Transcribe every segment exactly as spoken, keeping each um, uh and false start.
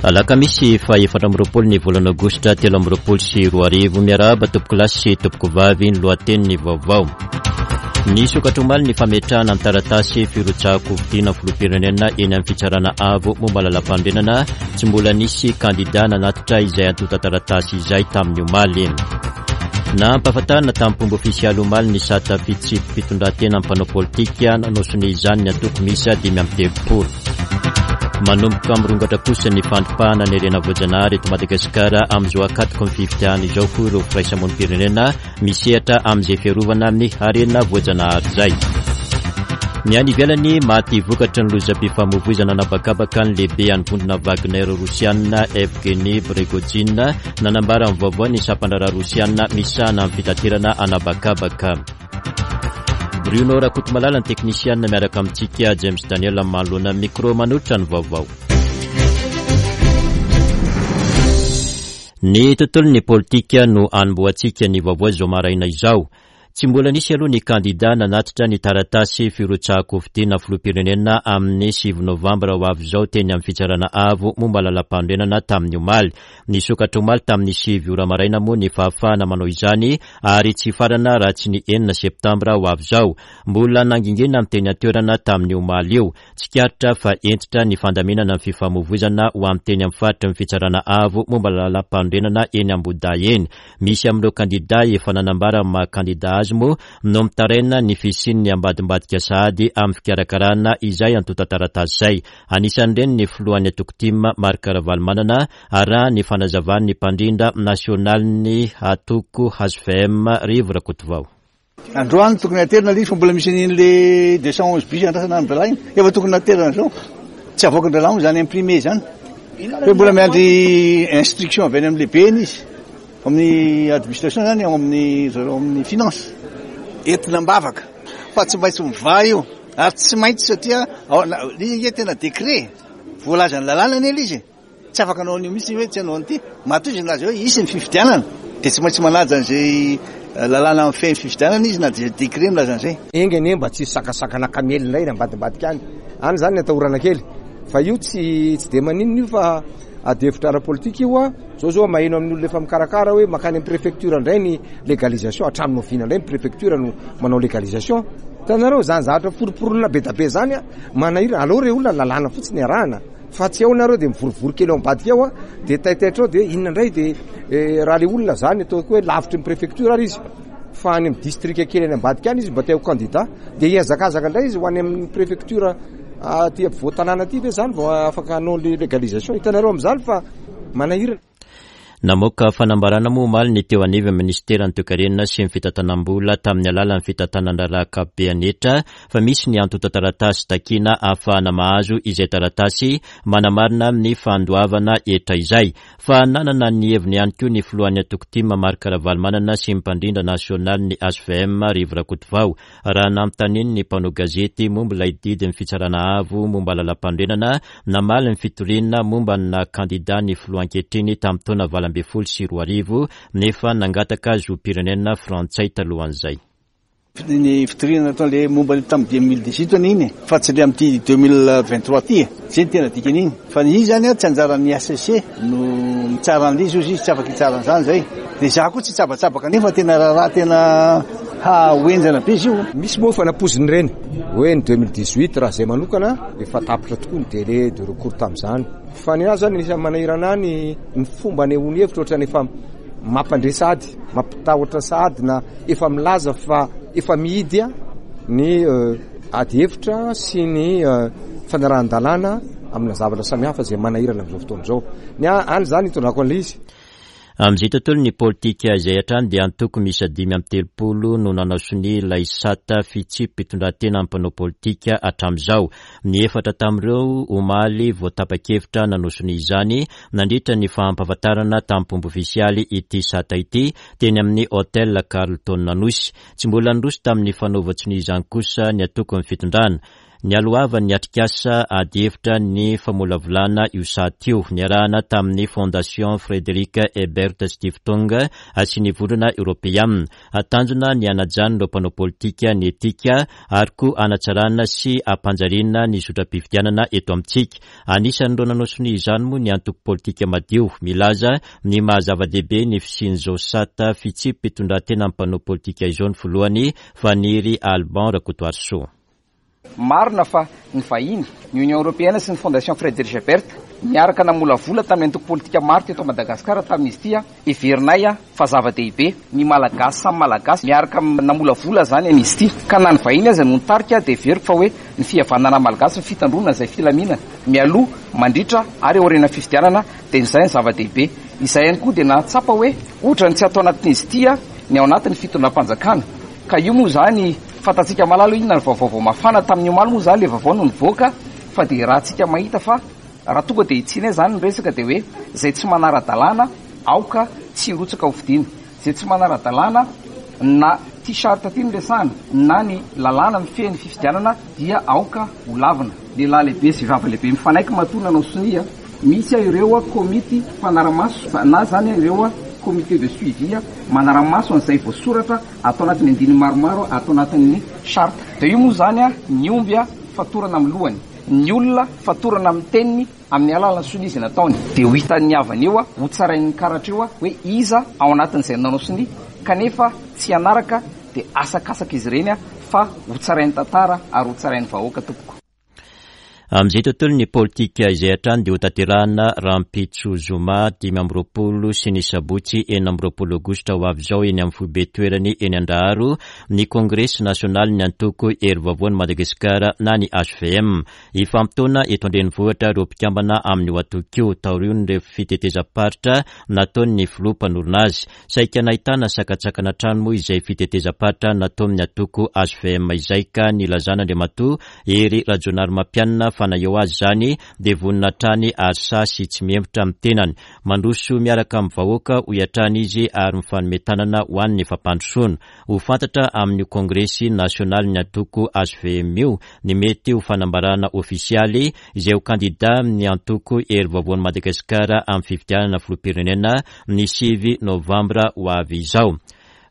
Alakamisy faha efatra amby roapolo ny volana aogositra telo amby roapolo sy roa arivo. Miarahaba tompokolahy sy tompokovavy, ny lohatenin'ny vaovao. Nisokatra omaly ny fametrahana ny taratasy firotsahan-kofidina filoham-pirenena eny amin'ny fitsarana avo momba lalam-panorenana. Tsy mbola nisy kandida nanatitra izay antontan-taratasy izay tamin'ny omaly. Nampahafantarina tamin'ny fomba ofisialy omaly ny sata fitsipi-pitondran-tena mpanao politika, nanao sonia izany ny antoko miisa dimy amby telopolo. Manomboka mirongatra kosa ny fandripahana ny harena voajanahary eto Madagasikara amin'izao ankatoky ny fifidianana izao, hoy ireo firaisamonim-pirenena misehatra amin'izay fiarovana ny harena voajanahary izay. Ny any ivelany, maty vokatry ny lozam-pifamoivoizana an'habakabaka ny lehibe an'ny vondrona Wagner rosiana Evgeny Prigojine. Nanambara ny vaovao ny sampan-draharaha rosiana misahana amin'ny fitaterana an'habakabaka. Bruno Rakotomalala ny teknisiana, miaraka amintsika James Daniel manoloana micro manolotra ny vaovao. Ny tontolon'ny politika no anombohantsika ny vaovao izao maraina izao. Tsy mbola nisy aloha ny kandida nanatitra ny taratasy firotsahan-kofidina filoham-pirenena amin'ny sivy novambra ho avy izao teny amin'ny fitsarana avo momba lalam-panorenana tamin'ny omaly. Nisokatra omaly tamin'ny sivy ora maraina moa ny fahafahana manao izany ary tsy farana raha tsy ny enina septambra ho avy izao. Mbola nangingina ny teny an-toerana tamin'ny omaly io. Tsikaritra fa hentitra ny fandaminana ny fifamoivoizana ho amin'ny teny amin'ny faritry ny fitsarana avo momba lalam-panorenana eny Ambohidahy eny. Misy amin'ireo kandida efa nanambara ny maha kandida azy moa no mitaraina ny fisian'ny ambadimbadika sahady amin'ny fikarakarana izay antontan-taratasy izay. Anisan'ireny ny filohan'ny antoko TIM Marc Ravalomanana, araha ny fanazavan'ny mpandrindra nasionalin'ny antoko H V M Rivo Rakotovao. Androany tokony aterina ilay izy fa mbola misy an'iny deux cent onze bis andrasana ny dralahiny. Efa tokony naterina izao. Tsy avoaka ny dralahiny izany imprimé izany. Fa mbola miandry instruction avy any amin'ny lehibeny izy. Amin'ny administration izany, ao amin'ny zareo amin'ny finance. Entina am-bavaka fa tsy maintsy mivaha io. Ary tsy maintsy satria ilay izy tena décret. Voalazan'ny lalàna anie ilay izy. Tsy afaka hanao an'io mihitsy hoe tsy hanao an'ity. Matoa izy nilaza hoe hisy ny fifidianana dia tsy maintsy manaja an'izay lalàna mifehy ny fifidianana izy na dia décret milaza an'izay. Enga anie mba tsy hisakasakana kamely indray ny ambadimbadika any. Any izany ny atahorana kely. Fa io tsy tsy dia maninona io fa ady hevitra ara-politika io a. Zao zao maheno amin'ny olona efa mikarakara hoe mankany amin'ny préfecture indray ny légalisation. Hatramin'ny oviana indray ny préfecture no manao légalisation. Hitanareo izany zavatra foromporonina be dia be izany a, manahirana. Aleo re olona lalàna fotsiny arahana. Fa tsy ao nareo dia mivorivory kely ao ambadika ao a, dia taitaitra ao dia inona indray dia raha le olona zany ataoko hoe lavitry ny préfecture ary izy fa any amin'ny district kely any ambadika any izy mba te ho candidat dia hihazakazaka indray izy ho any amin'ny préfecture aty ampovoan-tanàna aty ve zany vao afaka hanao le légalisation. Hitanareo amin'izany fa manahirana. Namoaka fanambarana moa omaly ny teo anivon'ny ministeran'ny toekarena sy ny fitantanam-bola tamin'ny alalan'ny fitantanan-draharaha ankapobeany hetra fa misy ny antontan-taratasy takiana ahafahana mahazo izay taratasy manamarina ny fandoavana hetra izay. Fa nanana ny heviny ihany koa ny filohan'ny antoko TIM Marc Ravalomanana sy ny mpandrindra nasionalin'ny H V M Rivo Rakotovao raha nanontaniany ny mpanao gazety momba ilay didin'ny fitsarana avo momba lalam-panorenana namaly ny fitoriana momba ny naha kandida ny filoha ankehitriny tamin'ny taona valo ambin'ny folo sy roa arivo nefa nangataka zom-pirenena frantsay talohan'izay. Ny fitoriana nataon'ilay momba ny tamin'ny deux mille dix-huit iny fa tsy ilay amin'ity deux mille vingt-trois ity. Izay no tena dikan'iny. Fa ny izy zany tsy anjaran'ny H C C no mitsara an'ilay izy, izy tsy afaka hitsara an'izany izay. Dia izaho koa tsy hitsabatsabaka nefa tena raharaha tena ho henjana be izy io. Misy moa fanampoizina ireny hoe ny deux mille dix-huit raha izay manokana efa tapitra tokoa ny délai de recours tamin'izany. Fa ny ahy zany anisan'ny manahirana ahy ny, ny fomba anehoany hevitra ohatrany efa mampandre sahady, mampitahotra sahady na efa milaza fa efa mihidy ny ady hevitra sy ny fanarahan-dalàna amina zavatra samihafa izay manahirana amin'izao fotoana izao. Ny ahy any zany hitondrako an'ilay izy. Amin'izay tontolon'ny politika izay hatrany dia antoko miisa dimy amby telopolo no nanao sonia ilay sata fitsipi-pitondran-tena mpanao politika hatramin'izao. Ny efatra tamin'ireo omaly vao tapa-kevitra nanao sonia izany nandritra ny fampahafantarana tamin'ny fomba ofisialy ity sata ity teny amin'ny Hotel Carlton Anosy. Tsy mbola niroso tamin'ny fanaovan-tsonia izany kosa ny antokon'ny fitondrana. Nialohavan'ny atrikasa adihevitra ny famolavolana io sata io, niarahana tamin'ny Fondation Frédéric Ebert Stiftung sy ny Vondrona Eoropeana. Tanjona ny hanajan'ireo mpanao politika ny etika ary koa hanatsarana sy hampanjariana ny zotram-pifidianana eto amintsika. Anisan'ireo nanao sonia izany moa ny antoko politika madio, milaza ny maha zava-dehibe ny fisian'izao sata fitsipi-pitondran-tena amin'ny mpanao politika izao ny filohany Faniry Alban Rakotoarisoa. Marina fa ny vahiny, ny Union Européenne sy ny Fondation Frédéric Ebert niaraka namolavola tamin'ny antoko politika maro teto Madagasikara tamin'izy ity. Heverinay fa zava-dehibe ny Malagasy samy Malagasy miaraka namolavola zany an'izy ity, ka na ny vahiny aza no nitarika dia heveriko fa hoe ny fihavanana malagasy, ny fitandroana izay filaminana mialoha, mandritra ary aorian'ny fifidianana dia izay ny zava-dehibe. Izay ihany koa dia nahatsapa hoe ohatran'ny tsy atao anatin'izy ity ny ao anatin'ny fitondram-panjakana, ka io moa zany fantatsika malala inona ny vaovao vao mafana tamin'ny omaly moa zany le vaovao no nivoaka, fa dia raha tsika mahita fa raha tonga dia hitsina zany ny resaka dia hoe izay tsy manara-dalàna aoka tsy hirotsaka ho fidiana, izay tsy manara-dalàna na t-shirt ty no resahana na ny lalàna mifehy ny fifidianana dia aoka ho lavina. Lehilahy lehibe sy vehivavy lehibe mifanaiky matoa nanao sonia, misy ireo komity mpanara-maso na zany ireo comité de suivi manara-maso an'izay voasoratra atao anatin'ny andininy maromaro atao anatin'ny charte. Dia io moa zany ny omby fatorana amin'ny lohany, ny olona fatorana amin'ny teniny amin'ny alalan'ny sonia izay nataony, dia ho hitan'ny havany eo, ho tsarain'ny karatra eo hoe iza ao anatin'izay nanao sonia kanefa tsy hanaraka, dia asakasaka izy ireny fa ho tsarain'ny tantara ary ho tsarain'ny vahoaka tompoko. Amin'izay tontolo ny politika izay hatrany dia hotanterahana rahampitso zoma dimy amby roapolo sy ny sabotsy enina amby roapolo aogositra ho avy izao eny amin'ny foibe toerany eny Andraharo ny kongresy nasionaly ny antoko Hery Vaovaon'i Madagasikara na ny H V M. Hifampitaona eto an-drenivohitra ireo mpikambana amin'io antoko io taorian'ireo fitetezam-paritra nataon'ny filoha mpanorina azy. Saika nahitana sakatsakana hatrany moa izay fitetezam-paritra nataon'ny antoko H V M izay, ka nilazan'Andriamatoa Hery Rajaonarimampianina fa na eo azy izany dia vonona hatrany ary sahy sy tsy mihemotra amin'ny tenany. Mandroso miaraka amin'ny vahoaka hoy hatrany izy ary mifanome tanana ho an'ny fampandrosoana. Ho fantatra amin'io kongresy nasionaly ny antoko H V M io ny mety ho fanambarana ofisialy izay ho kandida amin'ny antoko Hery Vaovaon'i Madagasikara amin'ny fifidianana filoham-pirenena ny sivy novambra ho avy izao.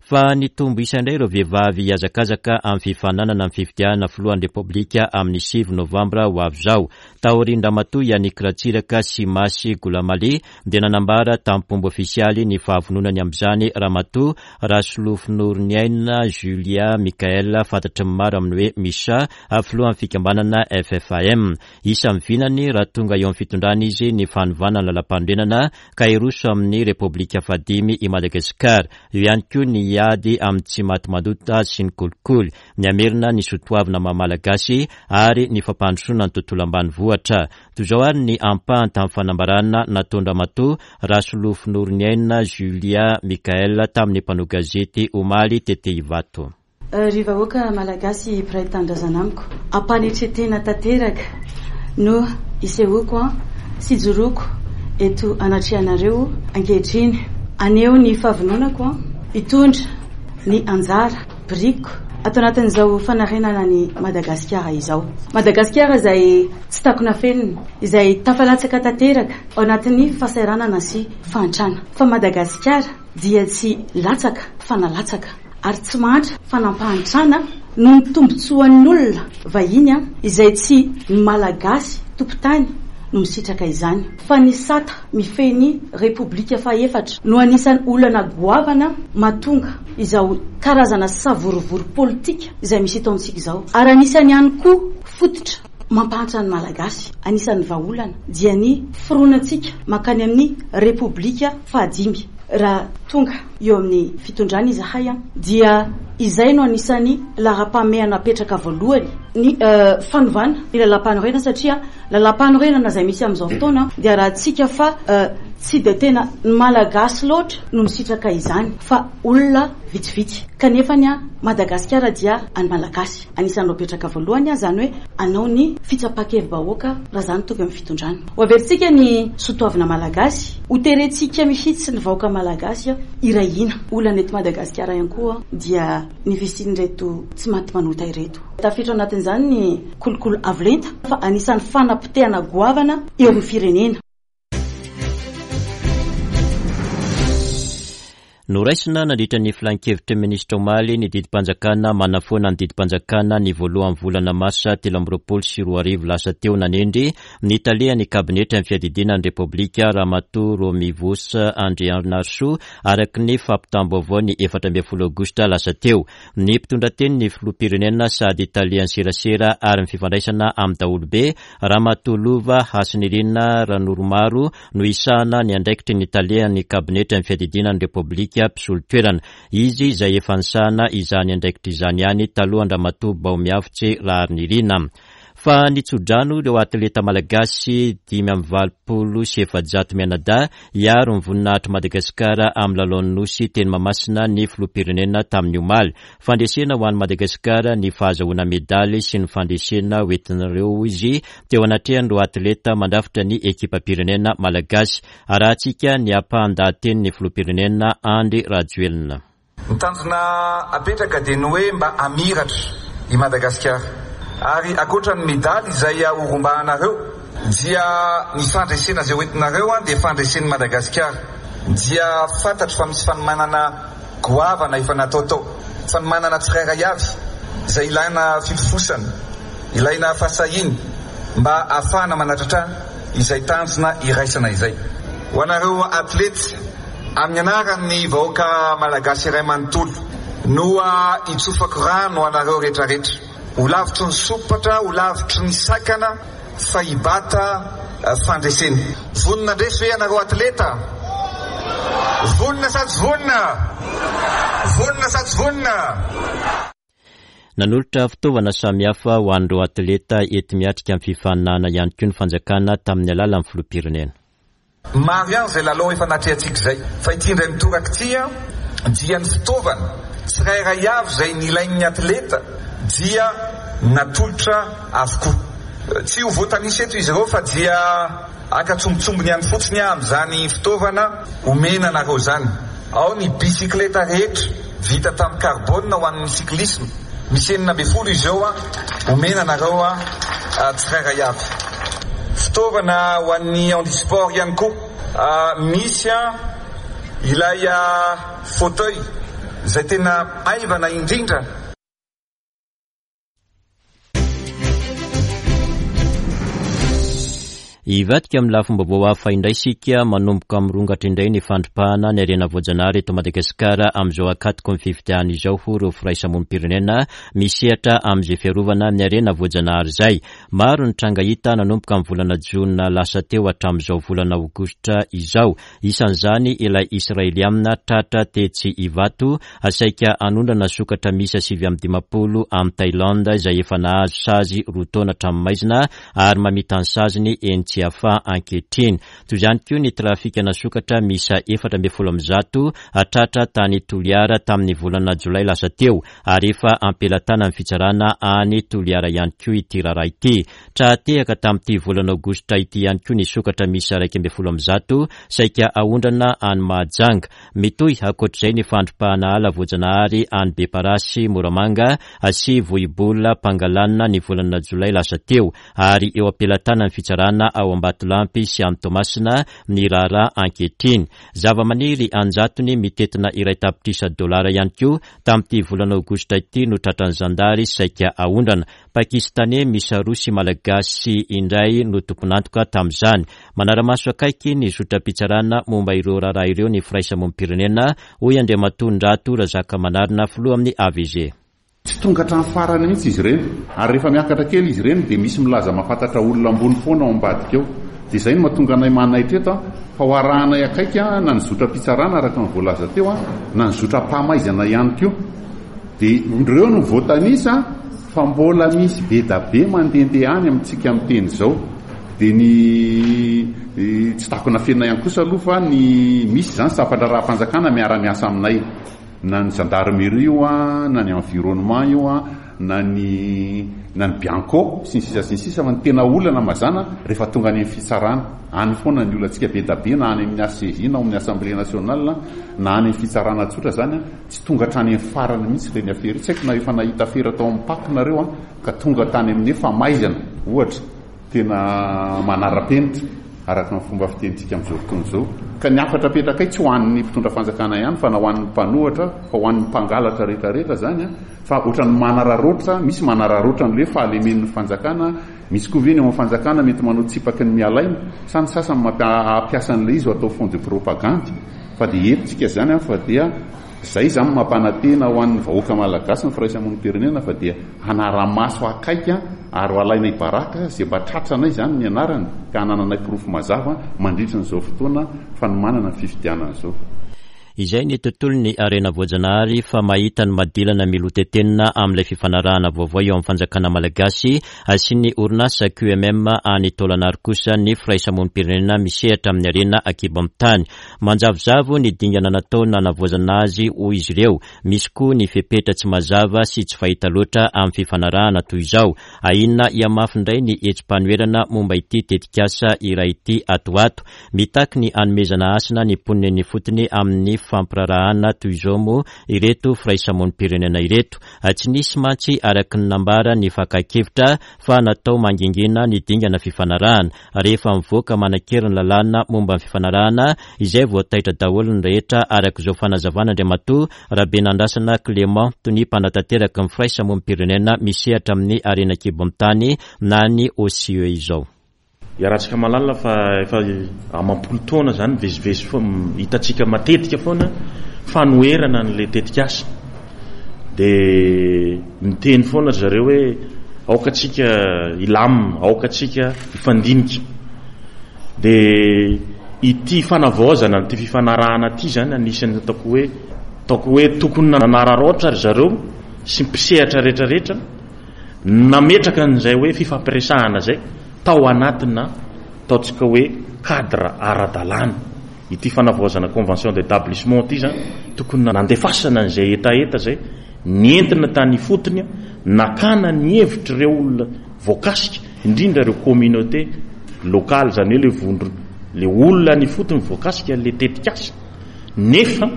Fa nitombo isa indray ireo vehivavy hihazakazaka amin'ny fifaninanana amin'ny fifidianana filohan'ny Repoblika amin'ny sivy novambra ho avy izao. Taorian-dRamatoa Yannick Ratsiraka sy Masy Goulamaly dia nanambara tamin'ny ofisialy ny fahavononany amin'izany Ramatoa Rasolofonoroniaina Julia Michael, fantatry ny maro amin'ny hoe Misha, filohan'ny fikambanana F F A M. Isan'ny vinany raha tonga eo amin'ny fitondrana izy ny fanovana ny lalam-panorenana ka hiroso amin'ny Repoblika fahadimy i Madagasikara. Eo ihany koa ny hiady amin'ny tsy maty manota sy ny kolikoly, ny hamerina ny soatoavina maha malagasy ary ny fampandrosoana ny tontolo ambanivohitra. Toy izao ary ny ampahany tamin'ny fanambarana nataon-dRamatoa Rasolofonoroniaina Julia Michael tamin'ny mpanao gazety omaly tety Ivato. Ry vahoaka malagasy mpiray tanindrazana amiko, ampanetretena tanteraka no isehoako sy ijoroako eto anatrehanareo ankehitriny. Haneho ny fahavononako hitondra ny anjara biriko ato anatin'izao fanarenana ny Madagasikara izao. Madagasikara izay tsy takona fenina, izay tafalatsaka tanteraka ao anatin'ny fahasahiranana sy fahantrana. Fa Madagasikara dia tsy latsaka fa nalatsaka, ary tsy mahantra fa nampahantrana noho ny tombontsoan'ny olona vahiny izay tsy ny Malagasy tompon-tany no misitraka izany. Fa ny sata mifehy ny Repoblika fahefatra no anisan'ny olana goavana mahatonga izao karazana savorovoro politika izay misy eto amintsika izao. Ary anisan'ny ihany koa fototra mampahantra ny Malagasy, anisan'ny vahaolana dia ny fironantsika mankany amin'ny Repoblika fahadimy. Raha tonga eo amin'ny fitondrana izahay dia izay no anisan'ny laharam-pahamehana apetraka voalohany ny fanovana ny lalam-panorenana, satria lalam-panorenana izay misy amin'izao fotoana dia raha tsika fa Tsy dia tena ny Malagasy loatra no misitraka izany fa olona vitsivitsy. Kanefa ny Madagasikara dia an'ny Malagasy. Anisan'ireo petraka voalohany izany hoe anao ny fitsapan-kevi-bahoaka raha izany tonga amin'ny fitondrana. Ho averintsika ny soatoavina Malagasy, ho terentsika mihitsy ny vahoaka Malagasy iray hina. Olana eto Madagasikara ihany koa dia ny fisian'ireto tsy maty manota ireto. Tafiditra ao anatin'izany ny kolikoly avo lenta fa anisan'ny fanapotehana goavana eo amin'ny firenena. Noraisina nandritra ny filan-kevitry ny minisitra omaly ny didim-panjakana manafoana ny didim-panjakana ny voalohan'ny volana marsa telo amby roapolo sy roa arivo lasa teo nanendry ny talehan'ny kabinetra ny fiadidiana ny Repoblika Ramatoa Romivos Andrianarisoa araka ny fampitam-baovao ny efatra ambin'ny folo aogositra lasa teo. Ny mpitondra teny ny filoham-pirenena sady talehan'ny serasera ary ny fifandraisana amin'ny daholobe Ramatoa Lova Hasinirina Ranoromaro no isahana ny andraikitry ny talehan'ny kabinetra ny fiadidiana ny Repoblika mpisolo toerana. Izy izay efa nisahana izany andraikitra izany ihany talohan-dRamatoa Baomiavotse Raharinirina. Fa nitsodrano ireo atleta malagasy dimy amby valopolo sy efajato mianadahy hiaro ny voninahitry Madagasikara amin'ny lalaon'ny Nosy teny Mahamasina ny filoham-pirenena tamin'ny omaly. Fandresena ho an'i Madagasikara ny fahazahoana medaly sy ny fandresena hoentin'ireo izy teo anatrehan'ireo atleta mandrafitra ny ekipam-pirenena malagasy. Arahantsika ny ampahan-dahatenin'ny filoham-pirenena Andry Rajoelina. Ny tanjona apetraka dia ny hoe mba hamiratra i Madagasikara. Ary ankoatra ny medaly izay horombahanareo dia ny fandresena izay hoentinareo dia fandresen'i Madagasikara. Dia fantatro fa misy fanomanana goavana efa natao tao, fanomanana tsirairay avy izay ilaina filofosana, ilaina fahasahiana mba ahafahana manatratra izay tanjona iraisana izay. Ho anareo atleta, amin'ny anaran'ny vahoaka malagasy iray manontolo no itsofako rano anareo rehetrarehetra. Ho lavitry ny sompatra, ho lavitry ny sakana fa hibata fandresena. Vonona handresy ve ianareo atleta? Vonona sa tsy vonona? Vonona sa tsy vonona? Nanolotra fitaovana samihafa ho an'ireo atleta enti-miatrika amin'ny fifaninanana ihany koa ny fanjakana tamin'ny alalan'ny filoham-pirenena. Maro ihany izay lalao efa natrehantsika izay, fa ity indray mitoraka ity dia ny fitaovana tsirairay avy izay nilain'ny atleta dia natolotra avokoa. Tsy ho voatanisa eto izy ireo fa dia haka tsombotsombony ihany fotsiny amin'izany fitaovana omena anareo izany. Ao ny bisikileta rehetra vita tamin'ny carbone ho an'ny cyclisme, misy enina ambin'ny folo izy eo omena anareo tsirairay avy. Fitaovana ho an'ny handisport ihany koa, misy ilay fauteuil izay tena maivana indrindra. Hivadika amin'ny lafim-baovao hafa indray isika. Manomboka mirongatra indray ny fandripahana ny harena voajanahary eto Madagasikara amin'izao ankatoky ny fifidianana izao ho ireo firaisamonim-pirenena misehatra amin'izay fiarovana ny harena voajanahary izay. Maro ny tranga hita nanomboka amin'ny volana jona lasa teo hatramin'izao volana aogositra izao. Isan'izany ilay Israelianina tratra tetsy Ivato saika hanondrana sokatra miisa sivy amby dimampolo amin'ny Thaïlande izay efa nahazo sazy roa taona hatramin'ny maizina ary mamita ny saziny eny Tsiafahy ankehitriny. Toy izany koa ny trafikana sokatra miisa efatra ambin'ny folo amby zato tratra tany Toliara tamin'ny volana jolay lasa teo ary efa ampelatana ny fitsarana any Toliara ihany koa ity raharaha ity. Tra-tehaka tamin'ity volana aogositra ity ihany koa ny sokatra miisa iraika ambin'ny folo amby zato saika aondrana any Mahajanga. Mitohy ankoatr'izay ny fandripahana ala voajanahary any Beparasy, Moramanga sy Vohibola Pangalana ny volana jolay lasa teo ary eo ampelatana ny fitsarana ao Ambatolampy sy any Toamasina ny raharaha ankehitriny. Zava-maniry anjatony mitentina iray tapitrisa dolara ihany koa tamin'ity volana aogositra ity no tratran'ny zandary saika aondrana. Pakistaney miisa roa sy Malagasy indray no tompon'antoka tamin'izany. Manara-maso akaiky ny zotram-pitsarana momba ireo raharaha ireo ny firaisamonim-pirenena, hoy Andriamatoa Ndrato Razakamanarina, filoha amin'ny A V G. Tsy tonga hatramin'ny farany mihitsy izy ireny, ary rehefa miakatra kely izy ireny dia misy milaza mahafantatra olona ambony foana ao ambadika ao. Dia izay no mahatonga anay manaitra eto, fa ho arahanay akaiky na ny zotram-pitsarana araka ny voalaza teo, na ny zotram-pamaizana ihany koa. Dia ireo no voatanisa fa mbola misy be da be mandehandeha any amintsika miteny izao. Dia ny tsy takona fenina ihany kosa aloha fa ny misy izany sampan-draharaham-panjakana miara-miasa aminay, na ny gendarmerie io a, na ny environnement io a, na ny na ny Bianco sy ny sisa sy ny sisa. Fa ny tena olana mazana rehefa tonga any amin'ny fitsarana any foana ny olantsika be da be, na any amin'ny H C J na amin'ny Assemblée nationale na any amin'ny fitsarana tsotra zany, tsy tonga hatrany amin'ny farany mihitsy ireny afera. Tsy haiko na efa nahita afera tao amin'ny P A C nareo a, ka tonga tany amin'ny famaizana ohatra tena manara-penitra araka ny fomba fitenintsika amin'izao fotoana izao. Ka ny hafatra apetrakay tsy ho an'ny mpitondra fanjakana ihany fa na ho an'ny mpanohatra, fa ho an'ny mpangalatra rehetrarehetra zany a, fa ohatran'ny manararaotra, misy manararaotra an'ilay fahalemen'ny fanjakana, misy koa ve ny ao amin'ny fanjakana mety manao tsipaky ny mialaina, sa ny sasany mampiasa an'ilay izy ho atao fond de propagande. Fa dia eto tsika zany a, fa dia zay zany mampanantena ho an'ny vahoaka malagasy ny firaisamonim-pirenena fa dia hanara-maso akaiky ary ho alaina ibaraka zay mba tratranay zany ny anarany ka hanananay porofo mazava mandritra an'izao fotoana fanomanana ny fifidianana izao. Izay ny tontolon'ny harena voajanahary fa mahita ny madilana milotetenina amin'ilay fifanarahana vaovao eo amin'ny fanjakana malagasy sy ny orinasa Q M M any Taolagnaro kosa ny firaisamonim-pirenena misehatra amin'ny harena an-kibon'ny tany. Manjavozavo ny dingana natao nanavaozana azy hoy izy ireo. Misy koa ny fepetra tsy mazava sy tsy fahita loatra amin'ny fifanarahana toy izao. Ahiana hihamafy indray ny hetsi-panoherana momba ity tetikasa iray ity ato ho ato. Mitaky ny hanomezana hasina ny mponina eny ifotony amin'ny fampirarahana toy izao moa ireto firaisamonim-pirenena ireto. Tsy nisy mantsy araka ny nambara ny fakan-kevitra fa natao mangingina ny dingana fifanarahana. Rehefa mivoaka manan-kery ny lalàna momba ny fifanarahana izay voataitra daholo ny rehetra araka izao fanazavana Andriamatoa Rabenandrasana Clément Tony mpanatanteraka ny firaisamonim-pirenena misehatra amin'ny harena an-kibon'ny tany na ny O C E izao. Iarahantsika mahalala fa efa amam-polo taona zany mivezivezy foana, hitantsika matetika foana fanoherana an'ilay tetikasa. Dia miteny foana ry zareo hoe aoka tsika hilamina, aoka tsika hifandinika. Dia ity fanavaozana ity fifanarahana ity zany anisan'ny ataoko hoe, ataoko hoe tokony nanararaotra ry zareo sy mpisehatra rehetrarehetra nametraka an'izay hoe fifampiresahana zay tao anatina ataontsika hoe cadre ara-dalàna. Ity fanavaozana convention d'établissement ity zany tokony nandefasana an'izay hetaheta zay nentina tany ifotony, nakana ny hevitr'ireo olona voakasika, indrindra ireo communauté locale, zany hoe le vondro, le olona any ifotony voakasika le tetikasa. Nefa,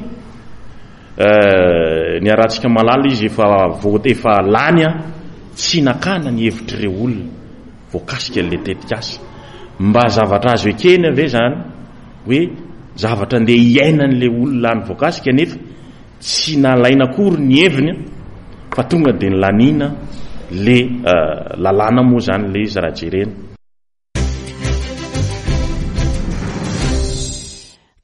eh, ny arahantsika mahalala izy efa vo-, efa lany a, tsy nakana ny hevitr'ireo olona voakasika le tetikasa. Mba zavatra azo ekena ve zany hoe zavatra andeha hiainan'le olona any voakasika nefa tsy nalaina akory ny heviny fa tonga dia nilanina le, eh, lalàna moa zany le izy raha jerena.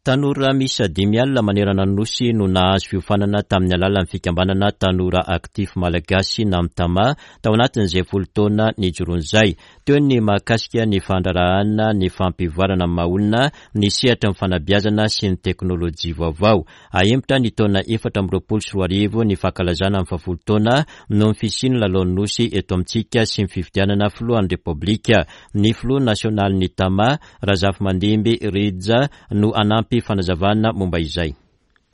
Tanora miisa dimy alina manerana ny nosy no nahazo fiofanana tamin'ny alalan'ny fikambanana Tanora Actif Malagasy na Mtama tao anatin'izay folo taona nijoroan'izay. Teo ny mahakasika ny fandraharahana, ny fampivoarana ny maha olona, ny sehatra ny fanabeazana sy ny teknôlôjia vaovao. Ahemotra ny taona efatra amby roapolo sy roa arivo ny fankalazana ny fahafolo taona noho ny fisian'ny lalaon'ny nosy eto amintsika sy ny fifidianana filohan'ny Repoblika. Ny filoha nasionalin'ny Tama, Razafimandimby Rija, no hanampy fanazavana momba izay.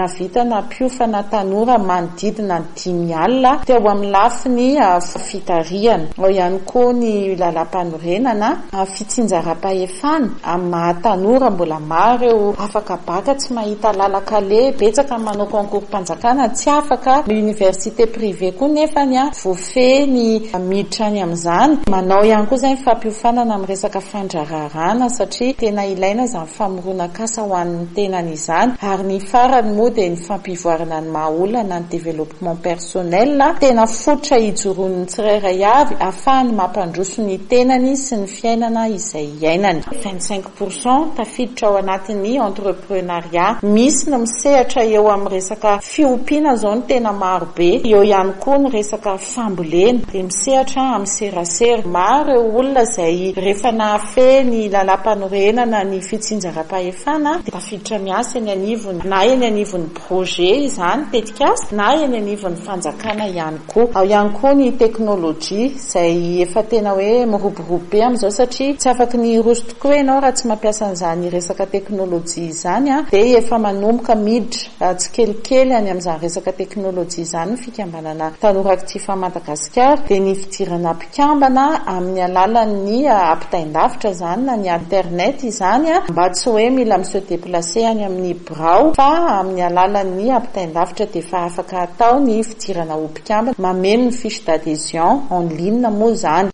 Nahavita nampiofana tanora manodidina ny dimy alina teo amin'ny lafiny fitarihana. Ao ihany koa ny lalam-panorenana, fitsinjaram-pahefana amin'ny maha tanora mbola maro ireo afaka baka tsy mahita lalan-kaleha, betsaka ny manao concours-mpanjakana tsy afaka, ny université privée koa nefa ny voafehy ny miditra any amin'izany. Manao ihany koa izay ny fampiofanana amin'ny resaka fandraharahana satria tena ilaina izany famoronana asa ho an'ny tenany izany, ary ny farany moa dia ny fampivoarana ny maha olona na ny développement personnel tena fototra ijoroan'ny tsirairay avy ahafahany mampandroso ny tenany sy ny fiainana izay iainany. vingt-cinq pour cent tafiditra ao anatin'ny entrepreneuriat. Misy ny misehatra eo amin'ny resaka fiompiana izao no tena marobe, eo ihany koa ny resaka fambolena, dia misehatra amin'ny serasera. Maro ireo olona izay rehefa nahafehy ny lalam-panorenana ny fitsinjaram-pahefana dia tafiditra miasa eny anivony na eny anivon'ny anivon'ny projet izany tetikasa na eny anivon'ny fanjakana ihany koa. Ao ihany koa ny teknolojia izay efa tena hoe miroborobo be amin'izao satria tsy afaky ny hiroso tokoa ianao raha tsy mampiasa an'izany resaka teknolojia izany, dia efa manomboka miditra tsikelikely any amin'izany resaka teknolojia izany ny fikambanana Tanora Actif Madagasikara, dia ny fidirana mpikambana amin'ny alalan'ny ampitain-davitra izany na ny internet izany, mba tsy hoe mila mi-se déplacer any amin'ny birao fa amin'ny alalan'ny ampitain-davitra dia efa afaka atao ny fidirana ho mpikambana, mameno ny fiche d'adhésion en ligne moa izany.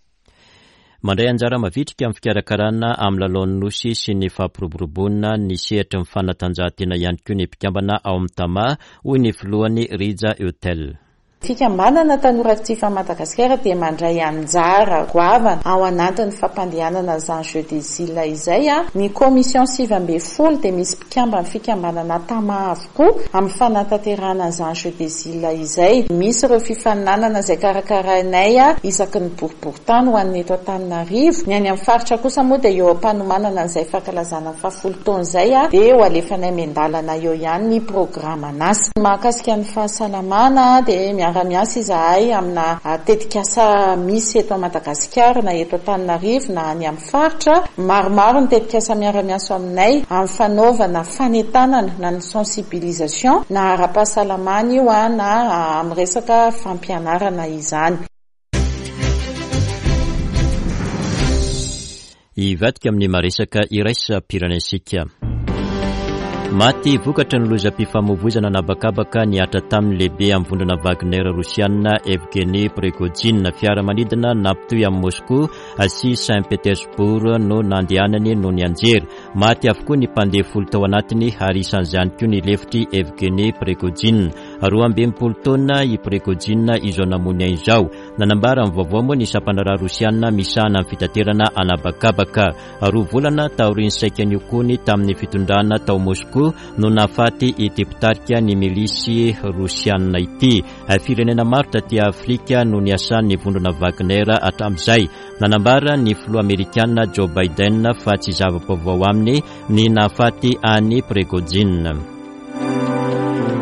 Mandray anjara mavitrika amin'ny fikarakarana amin'ny lalaon'ny Nosy sy ny fampiroboroboana ny sehatry ny fanatanjahantena ihany koa ny mpikambana ao amin'ny Tama, hoy ny filohany Rija Hotel. Fikambanana Tanora Actif Madagasikara dia mandray anjara goavana ao anatin'ny fampandehanana izany Jeux des Îles izay. Ny commission sivy ambin'ny folo dia misy mpikambana fikambanana Tama avokoa amin'ny fanatanterahana izany Jeux des Îles izay. Misy ireo fifaninanana izay karakarainay isaky ny boriborintany ho an'ny eto Antananarivo. Ny any amin'ny faritra kosa moa dia eo am-panomanana an'izay fankalazana ny fahafolo taona izay, dia ho alefanay miandalana eo ihany ny programan'asa. Mahakasika ny fahasalamana dia miara-miasa izahay amina tetikasa misy eto Madagasikara na eto Antananarivo na any amin'ny faritra. Maromaro ny tetikasa miara-miasa aminay amin'ny fanaovana fanentanana na ny sensibilisation na ara-pahasalamana io na amin'ny resaka fampianarana izany. Hivadika amin'ny maresaka iraisam-pirenentsika. Maty vokatra ny lozam-pifamoivoizana nabakabaka nihatra tamin'ny lehibe amin'ny vondrona Wagner Rosiana Evgeny Prigojine. Fiaramanidina nampitohy amin'i Moscou sy Saint-Pétersbourg no nandehanany no nianjera. Maty avokoa ny mpandeha folo tao anatiny ary isan'izany koa ny lefitry Evgeny Prigojine. Roa amby enimpolo taona i Prigojine izao namoy ny ainy izao. Nanambara ny vaovao moa ny sampandraharaha Rosiana misahana ny fitaterana anabakabaka. Roa volana taorian'ny saika niokony tamin'ny fitondrana tao Moscou no nahafaty ity mpitarika ny milisy Rosiana ity. Firenena maro taty Afrika no niasan'ny vondrona Wagner hatramin'izay. Nanambara ny filoha Amerikana Joe Biden fa tsy zava-baovao aminy ny nahafaty an'i Prigojine.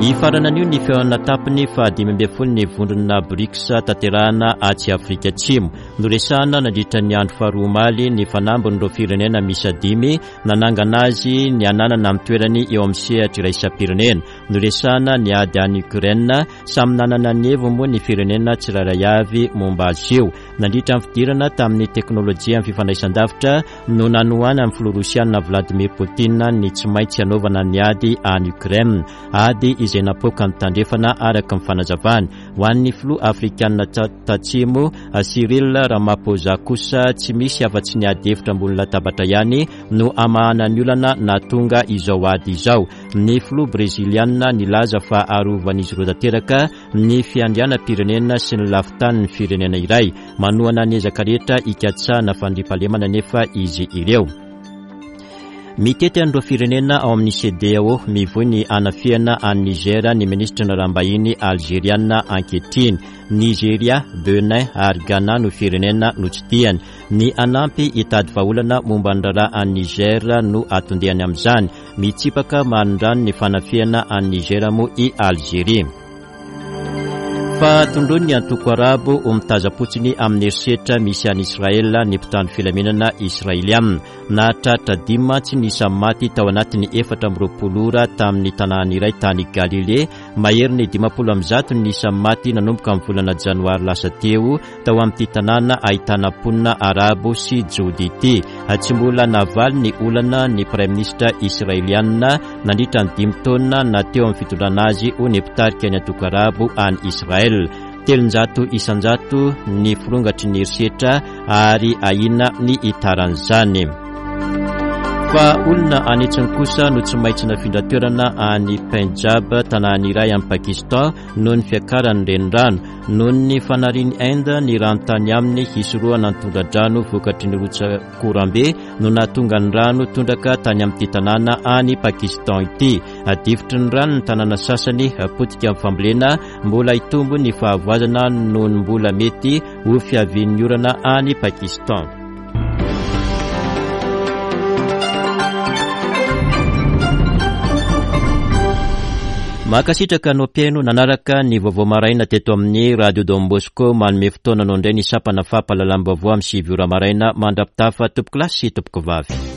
Hifarana anio ny fihaonana tampony fahadimy ambin'ny folo ny vondrona BRICS tanterahana atsy Afrika Atsimo. Noresahana nandritra ny andro faharoa omaly ny fanambin'ireo firenena miisa dimy nanangana azy ny ananana amin'ny toerany eo amin'ny sehatra iraisam-pirenena. Noresahana ny ady any Ukraine, samy nanana ny heviny moa ny firenena tsirairay avy momba azy io. Nandritra ny fidirana tamin'ny teknolojia amin'ny fifandraisan-davitra no nanohana ny filoha Rosiana Vladimir Poutine ny tsy maintsy hanaovana ny ady any Ukraine. Ady izay napoaka ny tandrefana araka ny fanazavany. Ho an'ny filoha Afrikana Tatsimo Cyril Ramaphosa kosa tsy misy afa-tsy ny ady hevitra ambony latabatra ihany no hamahana ny olana nahatonga izao ady izao. Ny filoha Breziliana nilaza fa arovan'izy ireo tanteraka ny fiandrianam-pirenena sy ny lafitanin'ny firenena iray. Manohana ny ezaka rehetra hikatsahana fandriampahalemana nefa izy ireo. Mitety an'ireo firenena ao amin'ny C D A O mivoy ny anafihana any Niger ny minisitry ny raharaham-bahiny Algeriana ankehitriny. Nigeria, Benin ary Ghana no firenena notsidihany. Ny hanampy hitady vahaolana momba ny raharaha any Niger no atondehany amin'izany. Mitsipaka manindrano ny fanafihana any Niger moa i Algeria. Fa tondroin'ny ny antoko arabo ho mitazam-potsiny amin'ny herisetra misy any Israel ny mpitandro filaminana israeliana. Nahatratra dimy mantsy ny isan'ny maty tao anatin'ny efatra amby roapolo ora tamin'ny tanàna iray tany Galilée. Mahery ny dimampolo amby zato ny isan'ny maty nanomboka amin'ny volana janoary lasa teo tao amin'ity tanàna ahitana mponina arabo sy jody ity. Tsy mbola navaly ny olana ny praiminisitra israeliana nandritra ny dimy taona na teo amin'ny fitondrana azy ho ny mpitarika ny antoko arabo any Israel. Telonjato isanjato ny firongatry ny herisetra ary ahiana ny hitaran'izany. Fa olona anetsiny kosa no tsy maintsy nafindra toerana any Punjab, tanàna iray any Pakistan, noho ny fiakaran'ny renirano. Noho ny fanarian'i Inde ny rano tany aminy hisorohana ny tondra-drano vokatry ny rotsak'oram-be no nahatonga ny rano tondraka tany amin'ity tanàna any Pakistan ity. Difotry ny rano ny tanàna sasany, potika amin'ny fambolena, mbola hitombo ny fahavoazana noho ny mbola mety ho fiavian'ny orana any Pakistan. Mankasitraka anao mpihaino nanaraka ny vaovao maraina teto amin'ny Radio Don Bosco. Manome fotoana anao indray ny sampana fampahalalam-baovao amin'ny sivy ora maraina. Mandra-pitafa, tompokolahy sy tompokovavy.